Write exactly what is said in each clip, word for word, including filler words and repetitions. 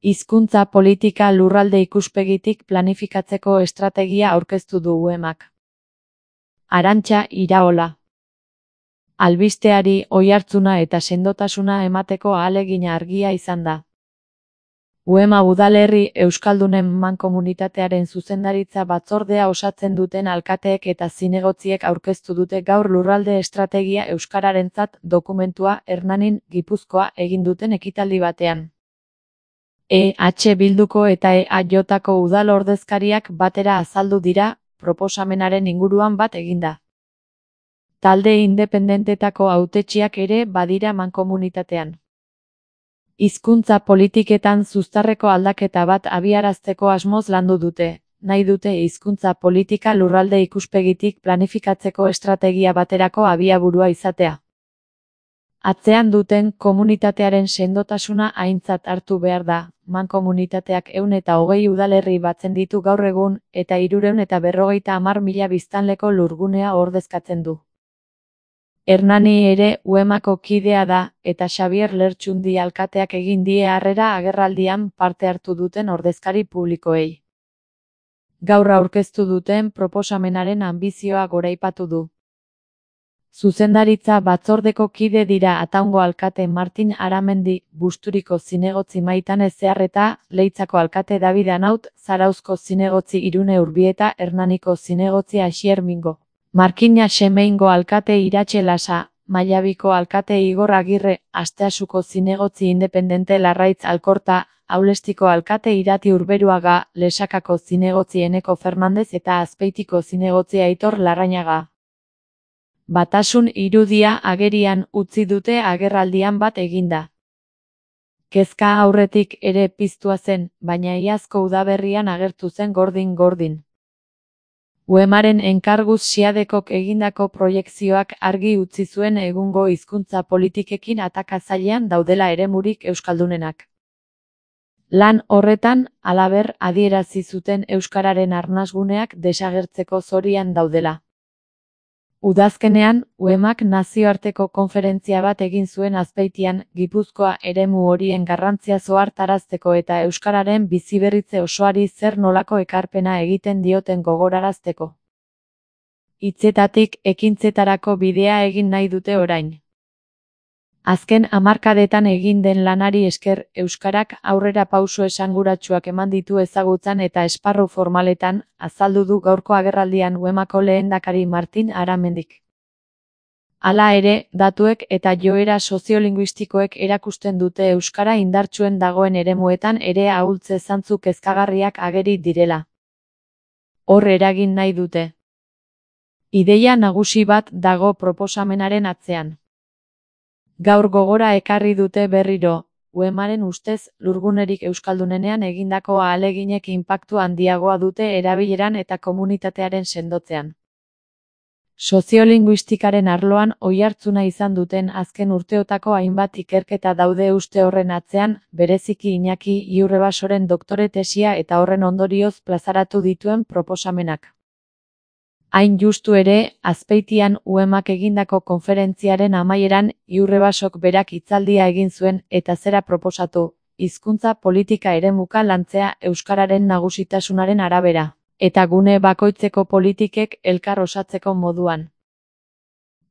Hizkuntza politika lurralde ikuspegitik planifikatzeko estrategia aurkeztu du U E Mak. Arantxa Iraola. Albisteari oihartzuna eta sendotasuna emateko ahalegina argia izan da. U E Ma udalerri euskaldunen mankomunitatearen zuzendaritza batzordea osatzen duten alkateek eta zinegotziek aurkeztu dute gaur lurralde estrategia euskararentzat dokumentua Hernanin, Gipuzkoa egin duten ekitaldi batean. E H Bilduko eta E A Jko udal ordezkariak batera azaldu dira, proposamenaren inguruan bat eginda. Talde independentetako hautetsiak ere badira mankomunitatean. Hizkuntza politiketan zuztarreko aldaketa bat abiarazteko asmoz landu dute, nahi dute hizkuntza politika lurralde ikuspegitik planifikatzeko estrategia baterako abiaburua izatea. Atzean duten komunitatearen sendotasuna aintzat hartu behar da, mankomunitateak ehun eta hogei udalerri batzen ditu gaur egun, eta hirurehun eta berrogeita hamar mila biztanleko lurgunea ordezkatzen du. Hernani ere U E Mako kidea da, eta Xabier Lertxundi alkateak egin die harrera agerraldian parte hartu duten ordezkari publikoei. Gaur aurkeztu duten proposamenaren anbizioa goraipatu du. Zuzendaritza batzordeko kide dira Ataungo alkate Martin Aramendi, Busturiko zinegotzi Maitan Ezearreta, Leitzako alkate David Anaut, Zarauzko zinegotzi Irune Urbieta, Hernaniko zinegotzi Asier Mingo. Markina Semeingo alkate Iratxe Lasa, Mallabiko alkate Igor Agirre, Asteasuko zinegotzi independente Larraitz Alkorta, Aulestiko alkate Irati Urberuaga, Lesakako zinegotzi Eneko Fernandez eta Azpeitiko zinegotzi Aitor Larrañaga. Batasun irudia agerian utzi dute agerraldian bat eginda. Kezka aurretik ere piztua zen, baina iazko udaberrian agertu zen gordin-gordin. U E Maren enkarguz Siadekok egindako proiekzioak argi utzi zuen egungo hizkuntza politikekin atakazailean daudela eremurik euskaldunenak. Lan horretan, halaber, adierazi zuten euskararen arnasguneak desagertzeko zorian daudela. Udazkenean, U E Mak nazioarteko konferentzia bat egin zuen Azpeitian, Gipuzkoa eremu horien garrantzia ohartarazteko eta euskararen biziberritze osoari zer nolako ekarpena egiten dioten gogorarazteko. Hitzetatik ekintzetarako bidea egin nahi dute orain. Azken hamarkadetan egin den lanari esker, euskarak aurrera pauso esanguratsuak eman ditu ezagutzan eta esparru formaletan, azaldu du gaurko agerraldian U E Mako lehendakari Martin Aramendik. Hala ere, datuek eta joera soziolinguistikoek erakusten dute euskara indartsuen dagoen eremuetan ere ahultze zantzu kezkagarriak ageri direla. Hor eragin nahi dute. Ideia nagusi bat dago proposamenaren atzean. Gaur gogora ekarri dute berriro, U E Maren ustez, lurgunerik euskaldunenean egindako ahaleginek inpaktu handiagoa dute erabileran eta komunitatearen sendotzean. Soziolinguistikaren arloan oihartzuna izan duten azken urteotako hainbat ikerketa daude uste horren atzean, bereziki Iñaki Iurrebasoren doktore tesia eta horren ondorioz plazaratu dituen proposamenak. Hain justu ere, Azpeitian U E Mak egindako konferentziaren amaieran Iurrebasok berak hitzaldia egin zuen eta zera proposatu, hizkuntza politika eremuka lantzea euskararen nagusitasunaren arabera, eta gune bakoitzeko politikek elkar osatzeko moduan.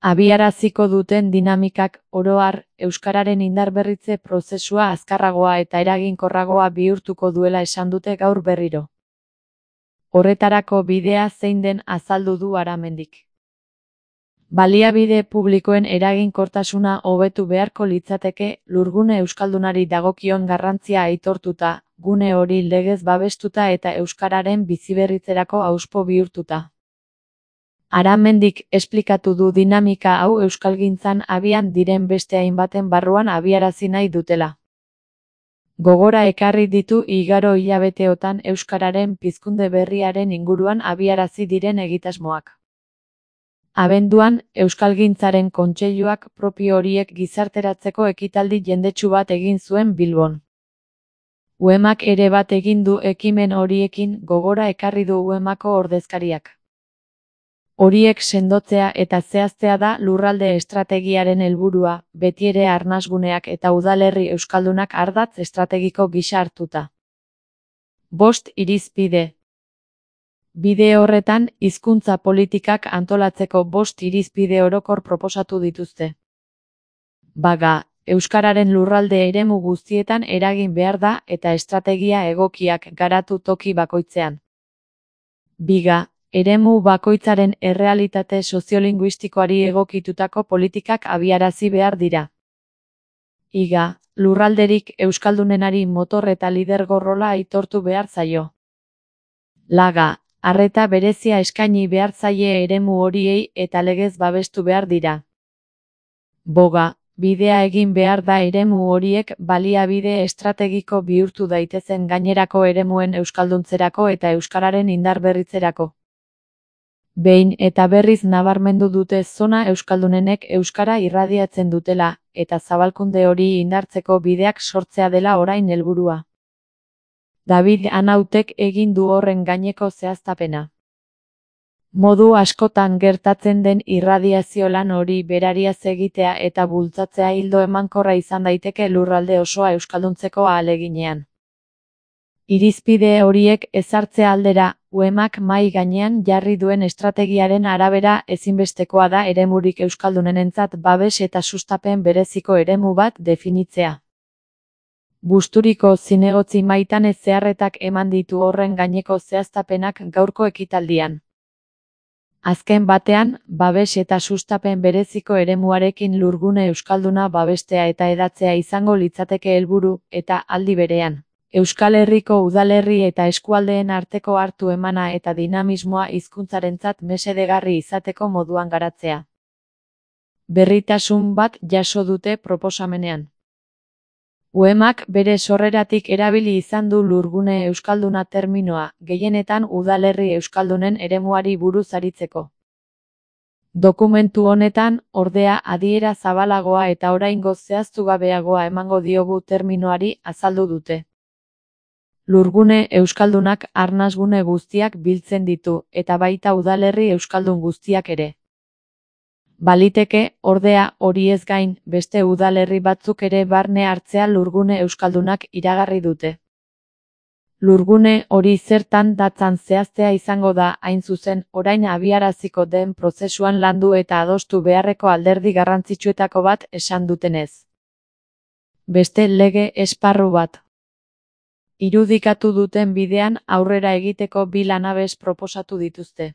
Abiaraziko duten dinamikak, oro har, euskararen indarberritze prozesua azkarragoa eta eraginkorragoa bihurtuko duela esan dute gaur berriro. Horretarako bidea zein den azaldu du Aramendik. Baliabide publikoen eraginkortasuna hobetu beharko litzateke, lurgune euskaldunari dagokion garrantzia aitortuta, gune hori legez babestuta eta euskararen biziberritzerako hauspo bihurtuta. Aramendik esplikatu du dinamika hau euskalgintzan abian diren beste hainbaten barruan abiarazi nahi dutela. Gogora ekarri ditu igaro hilabeteotan euskararen pizkunde berriaren inguruan abiarazi diren egitasmoak. Abenduan, Euskalgintzaren Kontseiluak propio horiek gizarteratzeko ekitaldi jendetsu bat egin zuen Bilbon. U E Mak ere bat egin du ekimen horiekin, gogora ekarri du U E Mako ordezkariak. Horiek sendotzea eta zehaztea da lurralde estrategiaren helburua, betiere arnasguneak eta udalerri euskaldunak ardatz estrategiko gisa hartuta. Bost irizpide. Bide horretan, hizkuntza politikak antolatzeko bost irizpide orokor proposatu dituzte. Baga, euskararen lurralde eremu guztietan eragin behar da eta estrategia egokiak garatu toki bakoitzean. Biga, eremu bakoitzaren errealitate soziolinguistikoari egokitutako politikak abiarazi behar dira. Iga, lurralderik euskaldunenari motor eta lidergo rola aitortu behar zaio. Laga, arreta berezia eskaini behar zaie eremu horiei eta legez babestu behar dira. Boga, bidea egin behar da eremu horiek baliabide estrategiko bihurtu daitezen gainerako eremuen euskalduntzerako eta euskararen indarberritzerako. Behin eta berriz nabarmendu dute zona euskaldunenek euskara irradiatzen dutela, eta zabalkunde hori indartzeko bideak sortzea dela orain helburua. David Anautek egin du horren gaineko zehaztapena. Modu askotan gertatzen den irradiazio lan hori berariaz egitea eta bultzatzea ildo emankorra izan daiteke lurralde osoa euskalduntzeko ahaleginean. Irizpide horiek ezartzea aldera, U E Mak mahai gainean jarri duen estrategiaren arabera ezinbestekoa da eremurik euskaldunenentzat babes eta sustapen bereziko eremu bat definitzea. Busturiko zinegotzi Maitane Zeharretak eman ditu horren gaineko zehaztapenak gaurko ekitaldian. Azken batean, babes eta sustapen bereziko eremuarekin lurgune euskalduna babestea eta hedatzea izango litzateke helburu, eta aldi berean, Euskal Herriko udalerri eta eskualdeen arteko hartu emana eta dinamismoa hizkuntzarentzat mesedegarri izateko moduan garatzea. Berritasun bat jaso dute proposamenean. U E Mak bere sorreratik erabili izan du lurgune euskalduna terminoa, gehienetan udalerri euskaldunen eremuari buruz aritzeko. Dokumentu honetan, ordea adiera zabalagoa eta oraingoz zehaztugabeagoa emango diogu terminoari azaldu dute. Lurgune euskaldunak arnasgune guztiak biltzen ditu, eta baita udalerri euskaldun guztiak ere. Baliteke, ordea, hori ez gain, beste udalerri batzuk ere barne hartzea lurgune euskaldunak iragarri dute. Lurgune hori zertan datzan zehaztea izango da, hain zuzen, orain abiaraziko den prozesuan landu eta adostu beharreko alderdi garrantzitsuetako bat esan dutenez. Beste lege esparru bat. Irudikatu duten bidean aurrera egiteko bi lanabes proposatu dituzte.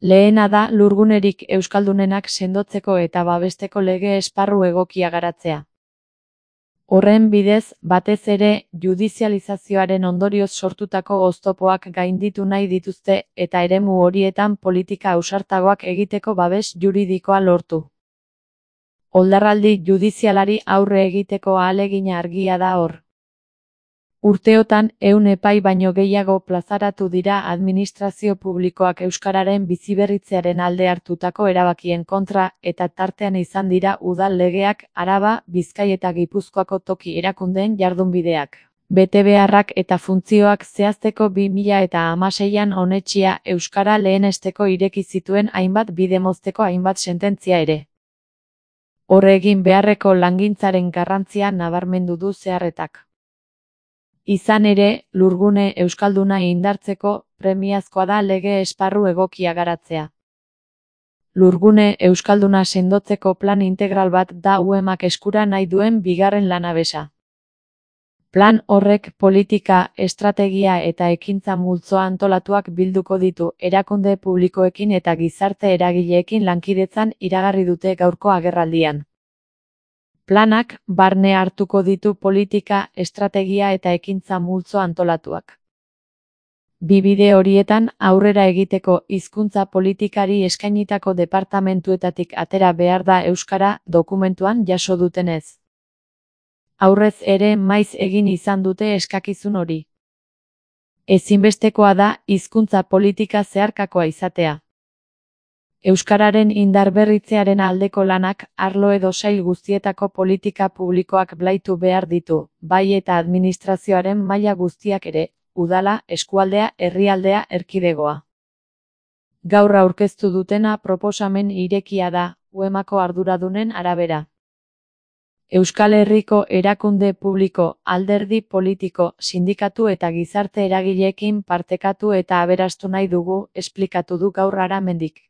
Lehena da lurgunerik euskaldunenak sendotzeko eta babesteko lege esparru egokia garatzea. Horren bidez, batez ere, judizializazioaren ondorioz sortutako oztopoak gainditu nahi dituzte eta eremu horietan politika ausartagoak egiteko babes juridikoa lortu. Oldarraldi judizialari aurre egiteko ahalegina argia da hor. Urteotan, ehun epai baino gehiago plazaratu dira administrazio publikoak euskararen biziberritzearen alde hartutako erabakien kontra eta tartean izan dira udal legeak, Araba, Bizkai eta Gipuzkoako toki erakundeen jardunbideak. Betebeharrak eta funtzioak zehazteko bi mila eta hamaseian onetsia euskara lehenesteko ireki zituen hainbat bide mozteko hainbat sententzia ere. Horre egin beharreko langintzaren garrantzia nabarmendu du Zeharretak. Izan ere, lurgune euskalduna indartzeko, premiazkoa da lege esparru egokia garatzea. Lurgune euskalduna sendotzeko plan integral bat da U E Mak eskura nahi duen bigarren lanabesa. Plan horrek politika, estrategia eta ekintza multzoa antolatuak bilduko ditu erakunde publikoekin eta gizarte eragileekin lankidetzan iragarri dute gaurko agerraldian. Planak barne hartuko ditu politika, estrategia eta ekintza multzo antolatuak. Bi bide horietan aurrera egiteko hizkuntza politikari eskainitako departamentuetatik atera behar da euskara dokumentuan jaso dutenez. Aurrez ere maiz egin izan dute eskakizun hori. Ezinbestekoa da hizkuntza politika zeharkakoa izatea. Euskararen indarberritzearen aldeko lanak arlo edo sail guztietako politika publikoak blaitu behar ditu, bai eta administrazioaren maila guztiak ere, udala, eskualdea, herrialdea, erkidegoa. Gaur aurkeztu dutena proposamen irekia da, UEMako arduradunen arabera. Euskal Herriko erakunde publiko, alderdi politiko, sindikatu eta gizarte eragileekin partekatu eta aberastu nahi dugu, esplikatu du gaur Aramendik.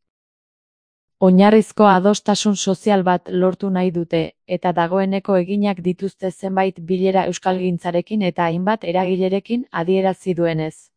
Oinarrizko adostasun sozial bat lortu nahi dute, eta dagoeneko eginak dituzte zenbait bilera euskalgintzarekin eta hainbat eragilerekin adierazi duenez.